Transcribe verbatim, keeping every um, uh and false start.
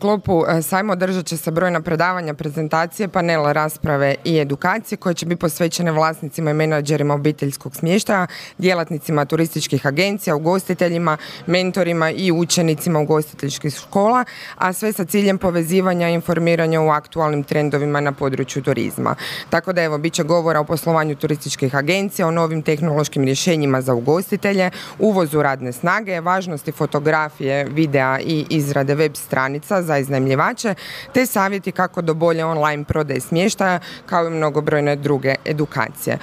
sklopu sajma održat će se brojna predavanja, prezentacije, panela, rasprave i edukacije koje će biti posvećene vlasnicima i menadžerima obiteljskog smještaja, djelatnicima turističkih agencija, ugostiteljima, mentorima i učenicima ugostiteljskih škola, a sve sa ciljem povezivanja i informiranja u aktualnim trendovima na području turizma. Tako da evo, bit će govora o poslovanju turističkih agencija, o novim tehnološkim rješenjima za ugostitelje, uvozu radne snage, važnosti fotografije, videa i izrade web stranica za iznajmljivače, te savjeti kako do bolje online prodaje smještaja, kao i mnogobrojne druge edukacije.